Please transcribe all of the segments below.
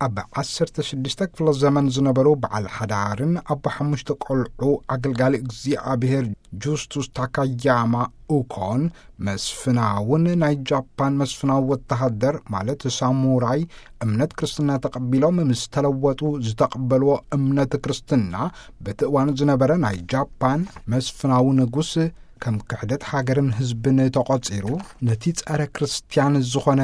ኣብ ዓሰርተ ሽዱሽተ ክፍለ ዘመን ዝነበሩ በዓል ሓዳርን ኣቦ ሓሙሽተ ቆልዑ ኣገልጋሊ እግዚኣብሔር ጁስቱስ ታካያማ ኡኮን፣ መስፍናውን ናይ ጃፓን መስፍናዊ ወተሃደር፣ ማለት ሳሙራይ፣ እምነት ክርስትና ተቐቢሎም ምስ ተለወጡ፣ ዝተቐበልዎ እምነት ክርስትና በቲ እዋኑ ዝነበረ ናይ ጃፓን መስፍናዊ ንጉስ ከም ክሕደት ሃገርን ህዝብን ተቖጺሩ፣ ነቲ ጸረ ክርስትያን ዝኾነ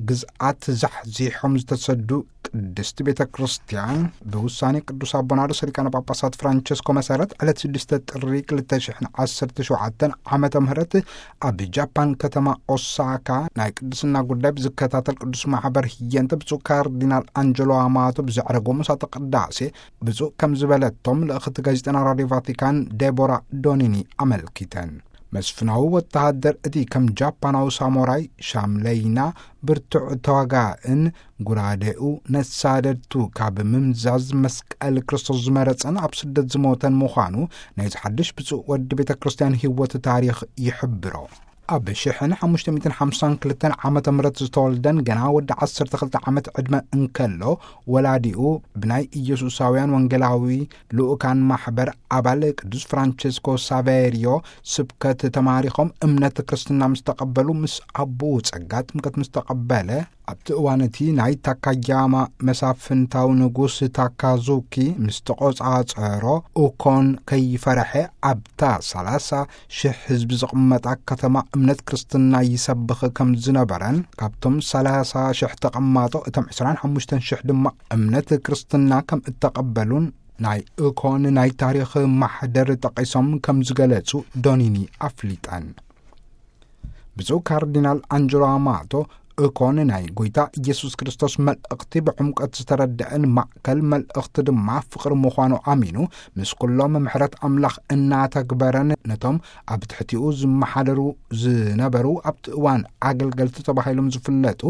ግዝኣት ዛሕዚሖም ዝተሰዱ ቅድስቲ ቤተ ክርስቲያን፣ ብውሳኔ ቅዱስ ኣቦና ርእሰ ሊቃነ ጳጳሳት ፍራንቸስኮ መሰረት፣ ዕለት ሽዱሽተ ጥሪ ክልተ ሽሕን ዓሰርተ ሸውዓተን ዓመተ ምህረት ኣብ ጃፓን ከተማ ኦሳካ ናይ ቅድስና ጉዳይ ብዝከታተል ቅዱስ ማሕበር ህየንተ ብፁዕ ካርዲናል ኣንጀሎ ኣማቶ ብዘዕረጎ ምሳተ ቅዳሴ ብፁዕ ከም ዝበለቶም ልእኽቲ ጋዜጠና ራድዮ ቫቲካን ዴቦራ ዶኒኒ ኣመልኪተን። መስፍናዊ ወተሃደር፣ እቲ ከም ጃፓናዊ ሳሞራይ ሻምለይና ብርቱዕ ተዋጋእን ጉራዴኡ ነሳደድቱ ካብ ምምዛዝ መስቀል ክርስቶስ ዝመረጸን ኣብ ስደት ዝሞተን ምዃኑ ናይዚ ሓድሽ ብፁዕ ወዲ ቤተ ክርስቲያን ህይወት ታሪኽ ይሕብሮ። ኣብ ሽሕን ሓሙሽተ ሚእትን ሓምሳን ክልተን ዓመተ ምህረት ዝተወልደን ገና ወዲ ዓሰርተ ክልተ ዓመት ዕድመ እንከሎ፣ ወላዲኡ ብናይ ኢየሱሳውያን ወንጌላዊ ልኡካን ማሕበር ኣባል ቅዱስ ፍራንቸስኮ ሳቬሪዮ ስብከት ተማሪኾም እምነት ክርስትና ምስ ተቐበሉ፣ ምስ ኣቦኡ ጸጋ ጥምቀት ምስ ተቐበለ፣ ኣብቲ እዋን እቲ ናይ ታካያማ መሳፍንታዊ ንጉስ ታካዙኪ ምስ ተቖጻጸሮ፣ ኡኮን ከይፈረሐ ኣብታ ሰላሳ ሽሕ ህዝቢ ዝቕመጣ ከተማ እምነት ክርስትና ይሰብኽ ከም ዝነበረን፣ ካብቶም ሰላሳ ሽሕ ተቐማጦ እቶም ዕስራን ሓሙሽተን ሽሕ ድማ እምነት ክርስትና ከም እተቐበሉን ናይ ኡኮን ናይ ታሪኽ ማሕደር ጠቒሶም ከም ዝገለጹ ዶኒኒ ኣፍሊጠን። ብፁዕ ካርዲናል ኣንጀሎ ኣማቶ፣ ኡኮን ናይ ጎይታ ኢየሱስ ክርስቶስ መልእኽቲ ብዕምቀት ዝተረድአን ማእከል መልእኽቲ ድማ ፍቕሪ ምዃኑ ኣሚኑ፣ ምስ ኩሎም ምሕረት ኣምላኽ እናተግበረን ነቶም ኣብ ትሕቲኡ ዝመሓደሩ ዝነበሩ ኣብቲ እዋን ኣገልገልቲ ተባሂሎም ዝፍለጡ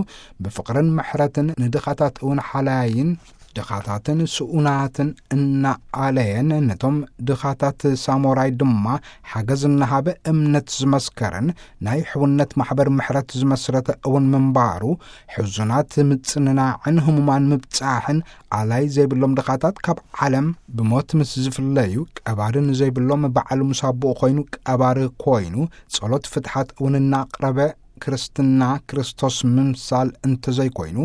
ብፍቕርን ምሕረትን ንድኻታት እውን ሓላይን ድኻታትን ስኡናትን እናኣለየን ነቶም ድኻታት ሳሞራይ ድማ ሓገዝ እናሃበ እምነት ዝመስከረን ናይ ሕውነት ማሕበር ምሕረት ዝመስረተ እውን ምንባሩ፣ ሕዙናት ምጽንናዕን ህሙማን ምብጻሕን ኣላይ ዘይብሎም ድኻታት ካብ ዓለም ብሞት ምስ ዝፍለዩ፣ ቀባሪ ንዘይብሎም ባዕሉ ምስ ኣቦኡ ኮይኑ ቀባሪ ኮይኑ ጸሎት ፍትሓት እውን እናቕረበ ክርስትና ክርስቶስ ምምሳል እንተዘይኮይኑ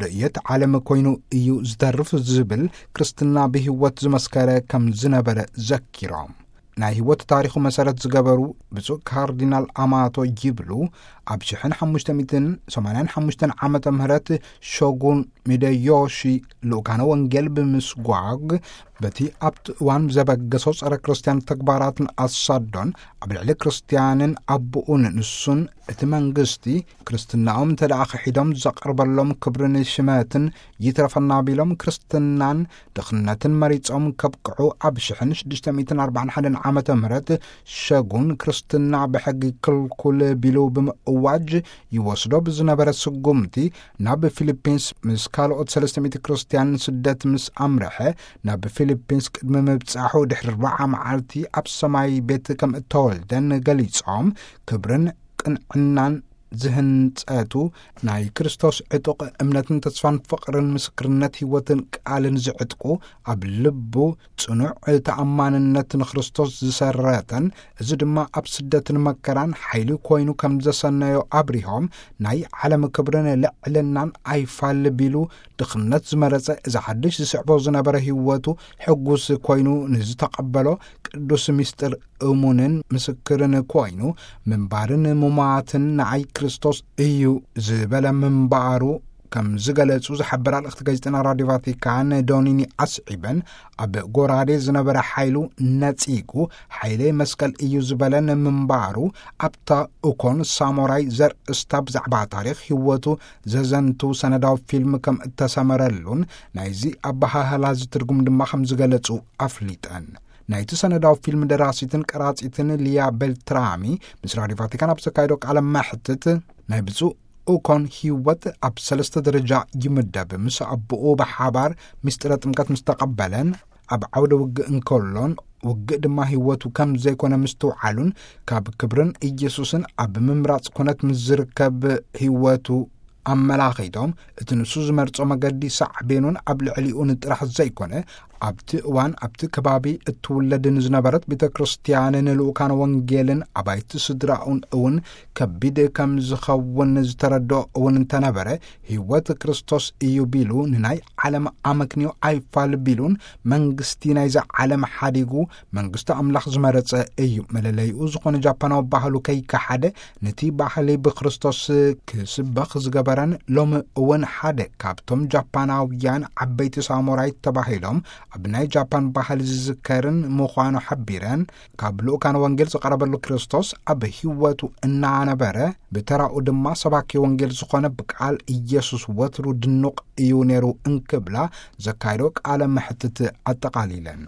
ርእየት ዓለም ኮይኑ እዩ ዝተርፍ ዝብል ክርስትና ብህይወት ዝመስከረ ከም ዝነበረ ዘኪሮም። ናይ ህይወት ታሪኹ መሰረት ዝገበሩ ብፁዕ ካርዲናል ኣማቶ ይብሉ፣ ኣብ ሽሕን ሓሙሽተ ሚእትን ሰማንያን ሓሙሽተን ዓመተ ምህረት ሾጉን ሚደዮሺ ልኡካነ ወንጌል ብምስጓግ በቲ ኣብቲ እዋን ዘበገሶ ጸረ ክርስትያን ተግባራትን ኣሳዶን ኣብ ልዕሊ ክርስትያንን ኣቦኡን ንሱን እቲ መንግስቲ ክርስትናኦም እንተ ደኣ ክሒዶም ዘቕርበሎም ክብርን ሽመትን ይትረፈና ቢሎም ክርስትናን ድኽነትን መሪጾም ከብቅዑ ኣብ ሽሕን ሽዱሽተ ሚእትን ኣርባዓን ሓደን ዓመተ ምህረት ሸጉን ክርስትና ብሕጊ ክልኩል ቢሉ ብምእዋጅ ይወስዶ ብዝነበረ ስጉምቲ ናብ ፊሊፒንስ ምስ ካልኦት ሰለስተ ሚእቲ ክርስትያን ስደት ምስ ኣምርሐ ናብ ፊሊፒንስ ቅድሚ ምብጻሑ ድሕሪ ኣርብዓ መዓልቲ ኣብ ሰማይ ቤት ከም እተወልደን ገሊጾም ክብርን ቅንዕናን ዝህንጸቱ ናይ ክርስቶስ ዕጡቕ እምነትን ተስፋን ፍቕርን ምስክርነት ህይወትን ቃልን ዝዕጥቁ ኣብ ልቡ ጽኑዕ ተኣማንነት ንክርስቶስ ዝሰረተን እዚ ድማ ኣብ ስደትን መከራን ሓይሊ ኮይኑ ከም ዘሰነዮ ኣብሪሆም ናይ ዓለም ክብርን ልዕልናን ኣይፋል ቢሉ ድኽነት ዝመረጸ እዚ ሓድሽ ዝስዕቦ ዝነበረ ህይወቱ ሕጉስ ኮይኑ ንዝተቐበሎ ቅዱስ ምስጢር እሙንን ምስክርን ኮይኑ ምንባርን ምማትን ንዓይ ክርስቶስ እዩ ዝበለ ምንባሩ ከም ዝገለጹ ዝሓበራ ልእኽቲ ጋዜጠና ራድዮ ቫቲካን ዶኒኒ ኣስዒበን ኣብ ጎራዴ ዝነበረ ሓይሉ ነጺጉ ሓይለይ መስቀል እዩ ዝበለን ምንባሩ ኣብታ ኡኮን ሳሞራይ ዘርእስታ ብዛዕባ ታሪኽ ህይወቱ ዘዘንቱ ሰነዳዊ ፊልም ከም እተሰመረሉን ናይዚ ኣበሃህላ ዝትርጉም ድማ ከም ዝገለጹ ኣፍሊጠን። ናይቲ ሰነዳዊ ፊልም ደራሲትን ቀራጺትን ሊያ ቤልትራሚ ምስ ራድዮ ቫቲካን ኣብ ዘካየዶ ቃለ መሕትት ናይ ብፁዕ ኡኮን ህይወት ኣብ ሰለስተ ደረጃ ይምደብ። ምስ ኣቦኡ ብሓባር ምስጢረ ጥምቀት ምስ ተቐበለን ኣብ ዓውደ ውግእ እንከሎን ውግእ ድማ ህይወቱ ከም ዘይኮነ ምስትውዓሉን ካብ ክብርን ኢየሱስን ኣብ ምምራጽ ኩነት ምስ ዝርከብ ህይወቱ ኣመላኺቶም፣ እቲ ንሱ ዝመርጾ መገዲ ሳዕቤኑን ኣብ ልዕሊኡን ጥራሕ ዘይኮነ፣ ኣብቲ እዋን ኣብቲ ከባቢ እትውለድ ንዝነበረት ቤተ ክርስቲያንን ልኡካን ወንጌልን ኣባይቲ ስድራኡን እውን ከቢድ ከም ዝኸውን ዝተረድኦ እውን እንተነበረ፣ ህይወት ክርስቶስ እዩ ቢሉ ንናይ ዓለም ኣመክንዮ ኣይፋል ቢሉን መንግስቲ ናይዛ ዓለም ሓዲጉ መንግስቲ ኣምላኽ ዝመረጸ እዩ። መለለይኡ ዝኾነ ጃፓናዊ ባህሉ ከይከሓደ፣ ነቲ ባህሊ ብክርስቶስ ክስበኽ ዝገበረን ሎሚ እውን ሓደ ካብቶም ጃፓናውያን ዓበይቲ ሳሙራይ ተባሂሎም ኣብ ናይ ጃፓን ባህሊ ዝዝከርን ምዃኑ ሓቢረን፣ ካብ ልኡካን ወንጌል ዝቐረበሉ ክርስቶስ ኣብ ህይወቱ እናነበረ፣ ብተራኡ ድማ ሰባኪ ወንጌል ዝኾነ ብቃል ኢየሱስ ወትሩ ድኑቕ እዩ ነይሩ እንክብላ ዘካየዶ ቃለ መሕትት ኣጠቓሊለን።